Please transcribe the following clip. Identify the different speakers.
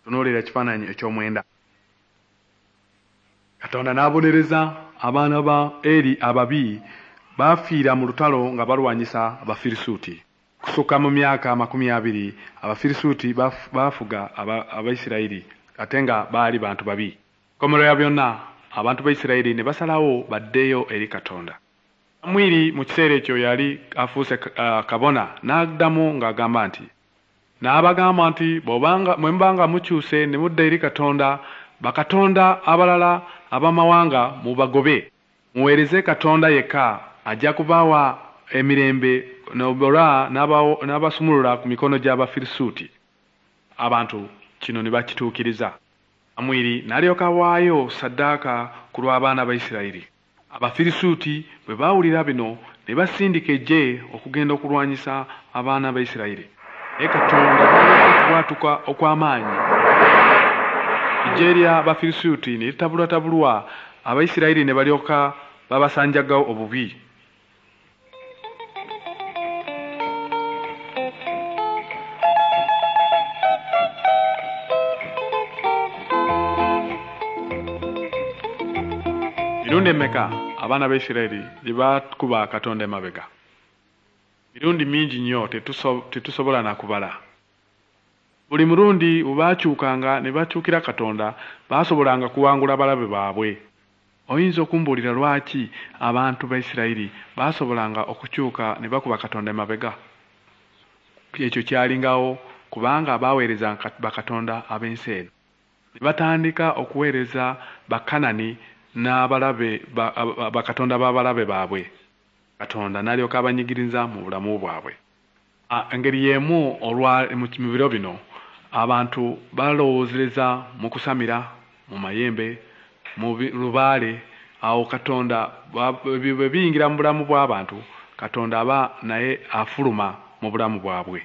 Speaker 1: Tunuulira ekifaananyi eky'omwenda. Katonda n'abonereza abaana ba Eri ababi baafiira mu lutalo nga balwanyisa Abafirisuuti. Kusukka mu myaka 20 Abafirisuuti baafuga Abaisirayiri ate nga baali bantu babi. Nkomerero ya byonna abantu ba Isirayiri ne basalawo baddeyo eri Katonda. Samwiri mu kiseera ekyo yali afuuse kabona n'addamu ng'agamba nti, n'abagamba nti bwe mubanga mukyuse ne mudda eri Katonda, bakatonda abalala ab'amawanga mubagobe, muweereze Katonda yekka, ajja kubawa emirembe n'obola n'abasumulula ku mikono gy'Abafirisuuti. Abantu kino ne bakituukiriza. Samwiri n'alyoka awaayo ssaddaaka ku lw'abaana ba Isirayiri. Abafirisuuti bwe baawulira bino ne basindika eggye okugenda okulwanyisa abaana ba Isirayiri. Naye Katonda n'aleeta okubwatuka okw'amaanyi, eggye ly'Abafirisuuti ne litabulwatabulwa, Abayisirayiri ne balyoka babasanjagawo obubi. Mirundi emeka abaana ba Isirayiri gye baakuba Katonda emabega? Mirundi mingi nnyo tetusobola na kubala. Buli mulundi bwe baakyukanga ne bakyukira Katonda, baasobolanga kuwangula balabe baabwe. Oyinza okumbuulira lwaki abantu ba Isirayiri baasobolanga okukyuka ne bakuba Katonda emabega? Ekyo kyalingawo kubanga baaweereza bakatonda ab'ensi eno. Ne batandika okuweereza Bakanani n'abalabe bakatonda b'abalabe baabwe. Katonda n'alyoka abanyigiriza mu bulamu bwabwe. Engeri y'emu olwa mu biro bino abantu balowoozereza mu kusamira, mu mayembe, mu lubaale. Awo Katonda bwe biyingira mu bulamu bw'abantu, Katonda aba naye afuluma mu bulamu bwabwe.